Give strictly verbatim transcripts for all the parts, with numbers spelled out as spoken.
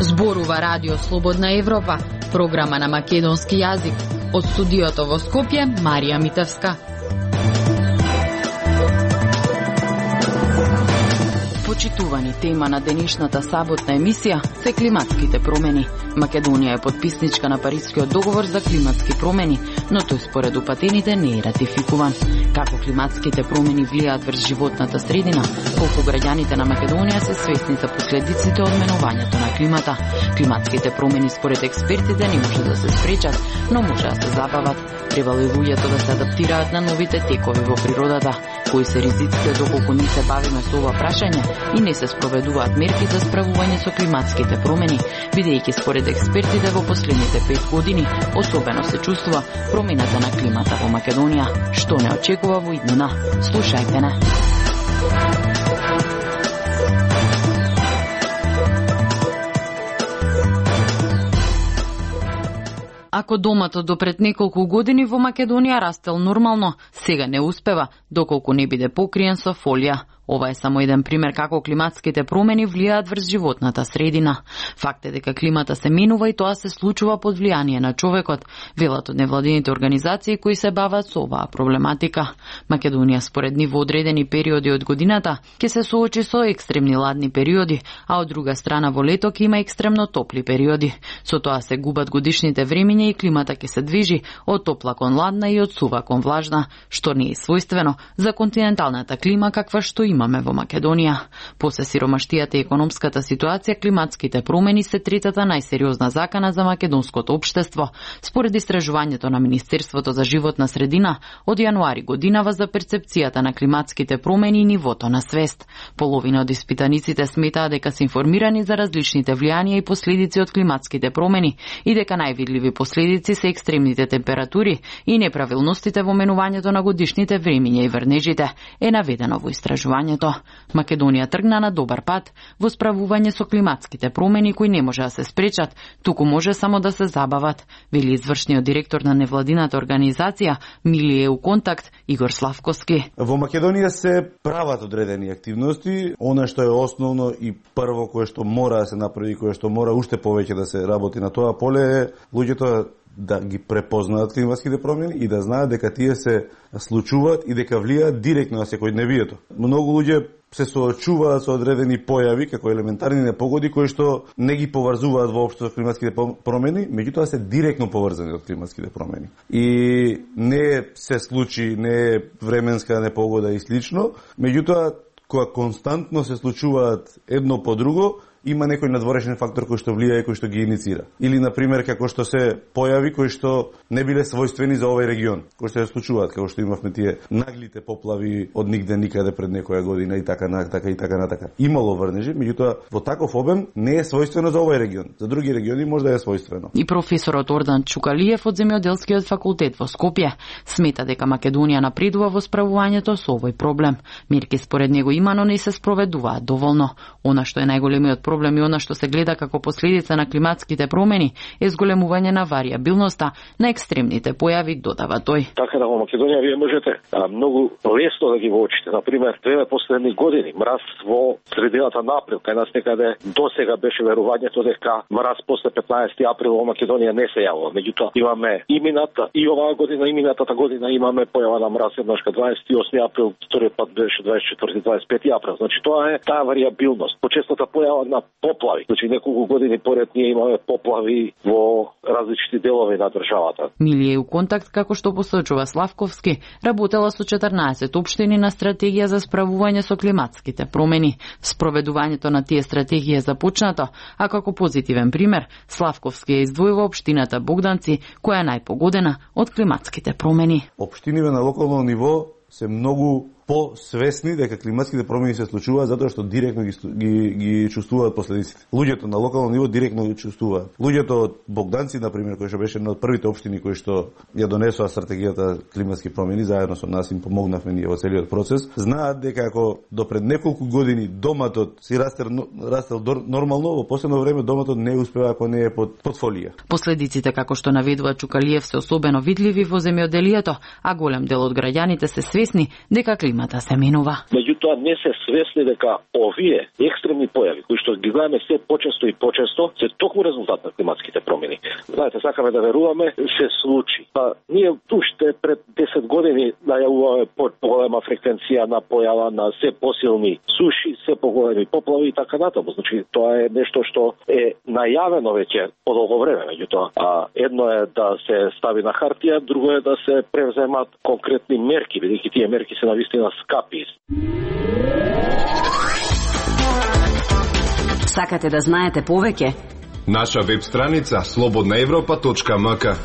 Зборува Радио Слободна Европа, програма на македонски јазик. Од студиото во Скопје, Марија Митевска. Почитувани, тема на денешната саботна емисија се климатските промени. Македонија е подписничка на Парискиот договор за климатски промени, но тој според упатените не е ратификуван. Како климатските промени влијаат врз животната средина, колку граѓаните на Македонија се свесни за последиците од менувањето на климата. Климатските промени според експертите не може да се спречат, но може да се забават. Требало и луѓето да се адаптираат на новите текови во природата. Кои се ризиците доколку не се бавиме со ова прашање и не се спроведуваат мерки за справување со климатските промени, бидејќи според експертите во последните пет години особено се чувствува промената на климата во Македонија, што не очекува во иднина. Слушајте не. Ако доматот до пред неколку години во Македонија растел нормално, сега не успева, доколку не биде покриен со фолија. Ова е само еден пример како климатските промени влијаат врз животната средина. Факт е дека климата се менува и тоа се случува под влијание на човекот, велат од невладините организации кои се бават со оваа проблематика. Македонија според нив во одредени периоди од годината ќе се соочи со екстремни ладни периоди, а од друга страна во лето ќе има екстремно топли периоди. Со тоа се губат годишните времиња и климата ќе се движи од топла кон ладна и од сува кон влажна, што не е својствено за континенталната клима каква што имаме во Македонија. После сиромаштијата и економската ситуација, климатските промени се третата најсериозна закана за македонското општество. Според истражувањето на Министерството за животна средина, од јануари годинава за перцепцијата на климатските промени и нивото на свест. Половина од испитаниците сметаа дека се информирани за различните влијанија и последици од климатските промени и дека највидливи последици се екстремните температури и неправилностите во менувањето на годишните времиња и врнежите, е наведено во истражувањето. Македонија тргна на добар пат во справување со климатските промени кои не може да се спречат, туку може само да се забават, вели извршниот директор на невладината организација Милие у контакт Игор Славковски. Во Македонија се прават одредени активности, она што е основно и прво кое што мора да се направи, кое што мора уште повеќе да се работи на тоа поле е луѓето да ги препознаат климатските промени и да знаат дека тие се случуваат и дека влијаат директно на секојдневието. Многу луѓе се соочуваат со одредени појави, како елементарни непогоди, кои што не ги поврзуваат воопшто со климатските промени, меѓутоа се директно поврзани од климатските промени. И не се случи, не е временска непогода и слично, меѓутоа кога константно се случуваат едно по друго, има некој надворешен фактор кој што влијае, кој што ги иницира. Или, например, како што се појави кои што не биле својствени за овој регион, кои што се случуваат, како што имавме тие наглите поплави од нигде никаде пред некоја година и така на така и така на така. Имало врнежи, меѓутоа во таков обем не е својствено за овој регион. За други региони може да е својствено. И професорот Ордан Чукалиев од Земјоделскиот факултет во Скопје смета дека Македонија напредува во справувањето со овој проблем. Мерки според него има, но не се спроведуваат доволно. Она што е најголемиот проблем и она што се гледа како последица на климатските промени е зголемување на варијабилноста на екстремните појави, додава тој. Така да во Македонија вие можете а, многу лесно да ги воочите. Например, две последни години мраз во средината на април, кај нас некаде досега беше верувањето дека мраз после петнаесети април во Македонија не се јавува. Меѓутоа имаме и мината и оваа година и минатата година имаме појава на мраз еднаш кај дваесет и осми април, вториот пат беше дваесет и четврти дваесет и пети април. Значи тоа е таа варијабилност. Почестата појава на поплави. Значи неколку години поред ние имаме поплави во различни делови на државата. Милие у контакт, како што посочува Славковски, работела со четрнаесет општини на стратегија за справување со климатските промени. Спроведувањето на тие стратегии е започнато, а како позитивен пример Славковски ја издвојува општината Богданци, која е најпогодена од климатските промени. Општините на локално ниво се многу посвесни дека климатските промени се случуваат затоа што директно ги, ги, ги чувствуваат последиците. Луѓето на локално ниво директно ги чувствуваат. Луѓето од Богданци, например, кои што беше една од првите општини кои што ја донесоа стратегијата климатски промени, заедно со нас им помогнавме ние во целиот процес, знаат дека ако до пред неколку години доматот си растел, растел нормално, во последно време доматот не успева ако не е под, под фолија. Последиците, како што наведува Чукалиев, се особено видливи во земјоделието, а голем дел од граѓаните се свесни дека климата се менува. Меѓутоа не се свесни дека овие екстремни појави кои што ги гледаме се почесто и почесто се токму резултат на климатските промени. Знаете, сакаме да веруваме се случи. Па ние уште пред десет години најавуваме поголема фреквенција на појава на се посилни суши, се поголеми поплави и така натаму. Значи тоа е нешто што е најавено веќе по долго време. Меѓутоа, а едно е да се стави на хартија, друго е да се превземат конкретни мерки, бидејќи тие мерки се навистина скапи. Сакате да знаете повеќе? Наша веб страница слободна европа точка ем ка.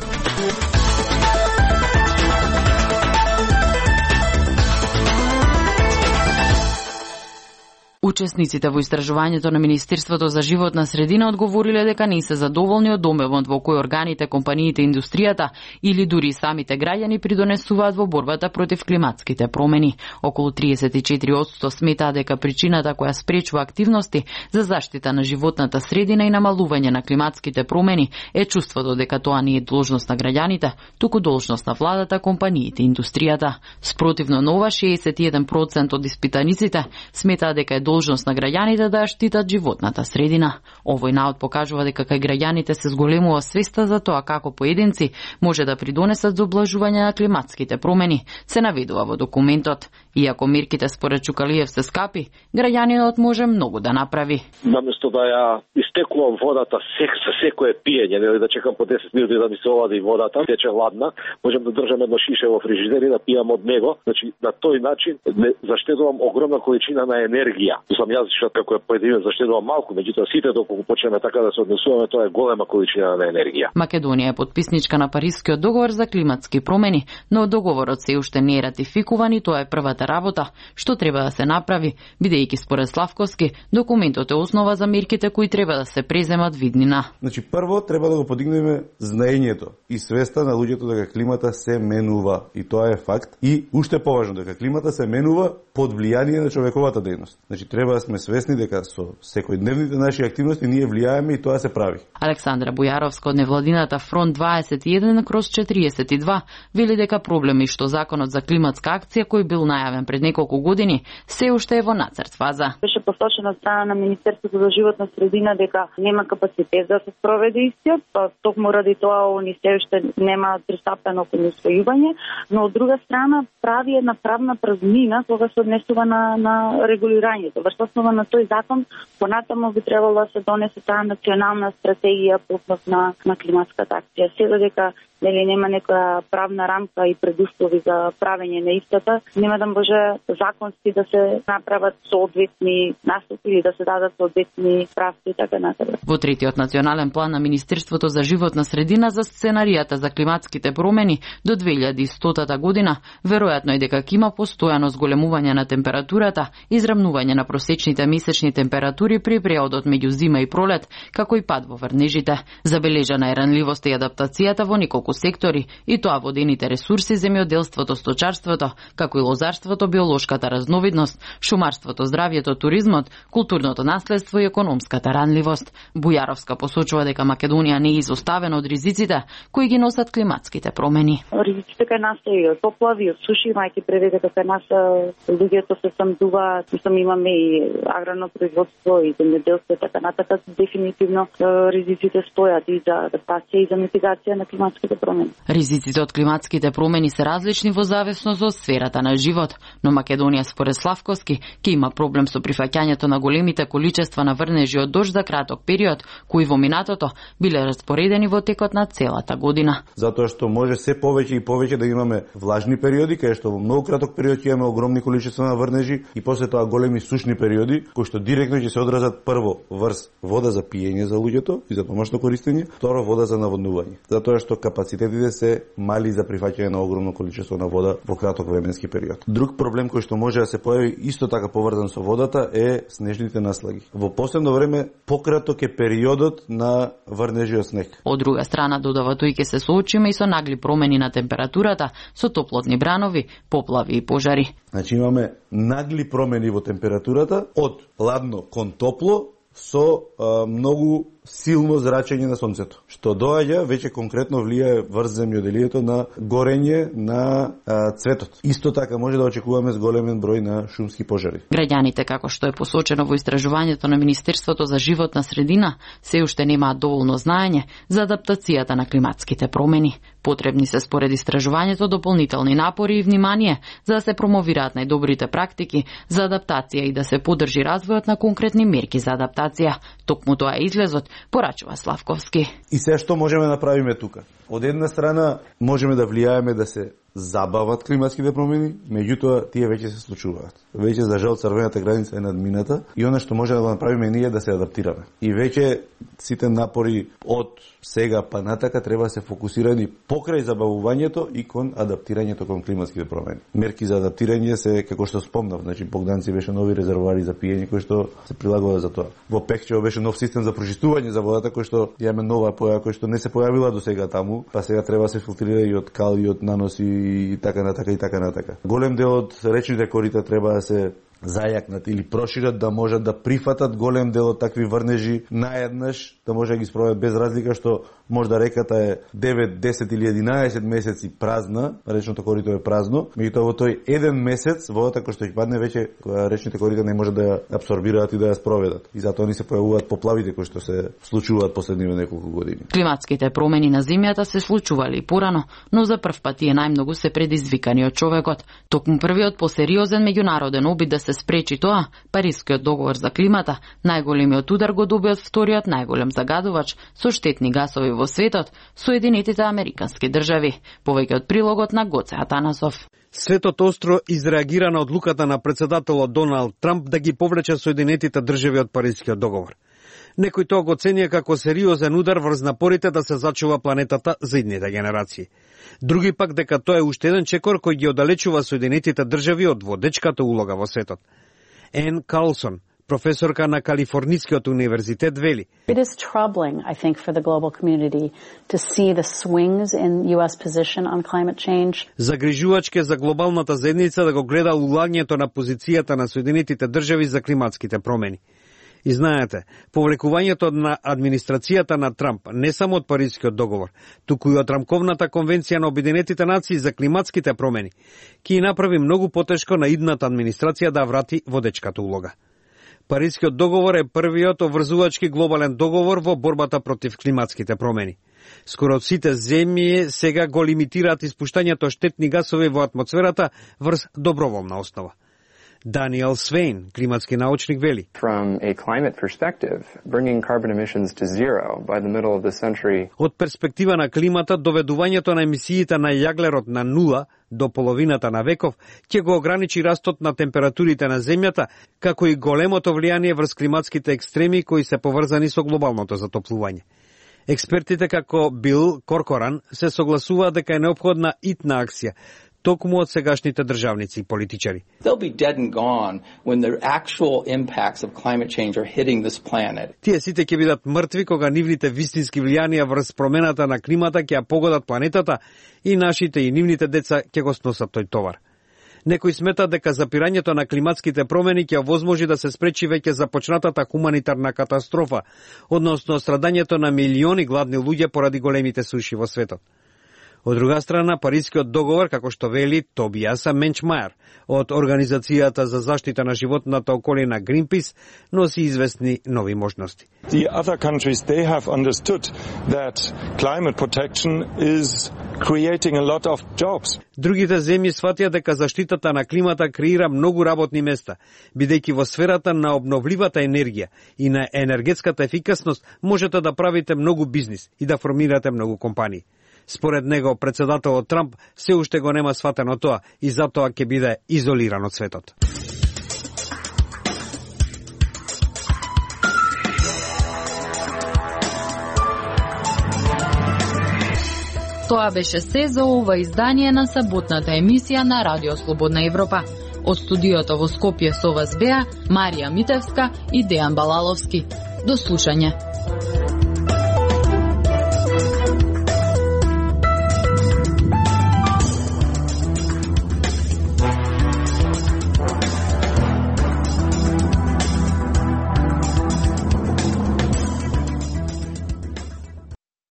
Учесниците во истражувањето на Министерството за животна средина одговориле дека не се задоволни од домевот во кој органите, компаниите, индустријата или дури самите граѓани придонесуваат во борбата против климатските промени. Околу триесет и четири одсто сметаат дека причината која спречува активности за заштита на животната средина и намалување на климатските промени е чувството дека тоа не е должност на граѓаните, туку должност на владата, компаниите и индустријата. Спротивно на ова, шеесет и еден процент од испитаниците сметаат дека е должност на граѓаните да ја штитат животната средина. Овој наод покажува дека кај граѓаните се зголемува свеста за тоа како поединци може да придонесат за облажување на климатските промени, се наведува во документот. Иако мерките според Чукалиев се скапи, граѓанинот може многу да направи. Наместо да ја истекувам водата сек за секое пиење, нели да чекам по десет минути да ми се олади водата, тече ладна, можам да држам едно шише во фрижидер и да пијам од него. Значи на тој начин заштедувам огромна количина на енергија. Сам јас што како е поединец заштедувам малку, меѓутоа сите доколку почнеме така да се однесуваме, тоа е голема количина на енергија. Македонија е подписничка на Парискиот договор за климатски промени, но договорот се уште не е ратификуван и тоа е првата работа што треба да се направи, бидејќи според Славковски документот е основа за мерките кои треба да се преземат виднина. Значи прво треба да го подигнеме знаењето и свеста на луѓето дека климата се менува и тоа е факт, и уште поважно дека климата се менува под влијание на човековата дејност. Значи треба да сме свесни дека со секојдневните наши активности ние влијаеме и тоа се прави. Александра Бујаровска од невладината Фронт дваесет и еден кроз четириесет и два вели дека проблеми што законот за климатска акција кој бил најавен пред неколку години се уште е во нацрт фаза. Беше посочено од страна на Министерството за животна средина дека нема капацитет да се спроведе истиот, па токму ради тоа они се уште нема пристапено кон усвојување, но од друга страна прави една правна празнина кога се однесува на, на регулирањето. Врз основа на тој закон понатаму би требало да се донесе таа национална стратегија по на, на климатската акција. Сега дека нели нема некоја правна рамка и предуслови за правење на истата, нема да може законски да се направат соодветни наступи или да се дадат соодветни правци и така натаму. Во третиот национален план на Министерството за животна средина за сценаријата за климатските промени до две илјади и стотата година, веројатно е дека ќе има постојано зголемување на температурата, израмнување на просечните месечни температури при преодот меѓу зима и пролет, како и пад во врнежите. Забележана е ранливоста и адаптацијата во неколку сектори, и тоа водените ресурси, земјоделството, сточарството, како и лозарството, биолошката разновидност, шумарството, здравјето, туризмот, културното наследство и економската ранливост. Бујаровска посочува дека Македонија не е изоставена од ризиците кои ги носат климатските промени. Ризиците кај нас се и од поплави, од суши, мајки преведе дека кај нас луѓето се самдуваат, мислам имаме и аграрно производство и земјоделство, така натака дефинитивно ризиците стојат и за адаптација и за митигација на климатските промени. Ризиците од климатските промени се различни во зависност од сферата на живот, но Македонија според Славковски ќе има проблем со прифаќањето на големите количества на врнежи од дожд за краток период, кои во минатото биле распоредени во текот на целата година. Затоа што може се повеќе и повеќе да имаме влажни периоди, кај што во многу краток период ќе имаме огромни количества на врнежи и после тоа големи сушни периоди, кои што директно ќе се одразат прво врз вода за пиење за луѓето и за домашно користење, второ вода за наводнување. Затоа што капацитет капацитетите се мали за прифаќање на огромно количество на вода во краток временски период. Друг проблем кој што може да се појави исто така поврзан со водата е снежните наслаги. Во последно време пократок е периодот на врнежи од снег. Од друга страна, додава тој, ќе се соочиме и со нагли промени на температурата, со топлотни бранови, поплави и пожари. Значи имаме нагли промени во температурата од ладно кон топло со а, многу силно зрачење на сонцето, што доаѓа веќе конкретно влијае врз земјоделието на горење на а, цветот. Исто така може да очекуваме зголемен број на шумски пожари. Граѓаните, како што е посочено во истражувањето на Министерството за животна средина, се уште немаат доволно знаење за адаптацијата на климатските промени. Потребни се според истражувањето дополнителни напори и внимание за да се промовираат најдобрите практики за адаптација и да се поддржи развојот на конкретни мерки за адаптација. Токму тоа е излезот, порачува Славковски. И се што можеме да направиме тука? Од една страна можеме да влијаеме да се забават климатските промени, меѓутоа тие веќе се случуваат. Веќе за жал црвената граница е надмината и она што може да го направиме ние да се адаптираме. И веќе сите напори од сега па натака треба да се фокусирани покрај забавувањето и кон адаптирањето кон климатските промени. Мерки за адаптирање се, како што спомнав, значи Богданци беше нови резервоари за пиење кои што се прилагува за тоа. Во Пекчево беше нов систем за прочистување за водата кој што имаме нова појава кој што не се појавила до сега таму, па сега треба да се филтрира и од кал и од наноси и така натака и така натака. Голем дел од речните корита треба да се зајакнат или прошират да можат да прифатат голем дел од такви врнежи наеднаш, да може да ги спроведат без разлика што можда реката е девет, десет или единаесет месеци празна, речното корито е празно, меѓутоа во тој еден месец водата која што ќе падне веќе речните корита не може да ја апсорбираат и да ја спроведат. И затоа ни се појавуваат поплавите кои што се случуваат последниве неколку години. Климатските промени на земјата се случували и порано, но за прв пат тие најмногу се предизвикани од човекот. Токму првиот посериозен меѓународен обид да се спречи тоа, Парискиот договор за климата, најголемиот удар го доби од вториот најголем загадувач со штетни гасови во светот, Соединетите Американски држави. Повеќе од прилогот на Гоце Атанасов. Светот остро изреагира на одлуката на председателот Доналд Трамп да ги повлече Соединетите држави од Парискиот договор. Некој тоа го ценија како сериозен удар врз напорите да се зачува планетата за идните генерации. Други пак дека тоа е уште еден чекор кој ги оддалечува Соединетите држави од водечката улога во светот. Ен Карлсон, професорка на Калифорнискиот универзитет, вели: It is troubling, I think, for the global community to see the swings in U S position on climate change. Загрижувачке за глобалната заедница да го гледа улаѓањето на позицијата на Соединетите држави за климатските промени. И знаете, повлекувањето на администрацијата на Трамп не само од Парискиот договор, туку и од Рамковната конвенција на Обединетите нации за климатските промени, ќе направи многу потешко на идната администрација да врати водечката улога. Парискиот договор е првиот обврзувачки глобален договор во борбата против климатските промени. Скоро сите земји сега го лимитираат испуштањето штетни гасови во атмосферата врз доброволна основа. Даниел Свейн, климатски научник, вели: From a climate perspective, bringing carbon emissions to zero by the middle of the century. Од перспектива на климата, доведувањето на емисиите на јаглерод на нула до половината на веков ќе го ограничи растот на температурите на земјата, како и големото влијание врз климатските екстреми кои се поврзани со глобалното затоплување. Експертите како Бил Коркоран се согласуваат дека е неопходна итна акција, токму од сегашните државници и политичари. Тие сите ќе бидат мртви кога нивните вистински влијанија врз промената на климата ќе ја погодат планетата и нашите и нивните деца ќе го сносат тој товар. Некои сметат дека запирањето на климатските промени ќе овозможи да се спречи веќе започнатата хуманитарна катастрофа, односно страдањето на милиони гладни луѓе поради големите суши во светот. Од друга страна, Парискиот договор, како што вели Тобиаса Менчмајер од Организацијата за заштита на животната околина Greenpeace, носи известни нови можности. The other countries, they have understood that climate protection is creating a lot of jobs. Другите земји сватија дека заштитата на климата креира многу работни места, бидејќи во сферата на обновливата енергија и на енергетската ефикасност можете да правите многу бизнис и да формирате многу компании. Според него, председателот Трамп се уште го нема сватено тоа и затоа ќе биде изолиран од светот. Тоа беше се за ова издание на саботната емисија на Радио Слободна Европа. Од студиото во Скопје со вас беа Марија Митевска и Дејан Балаловски. До слушање.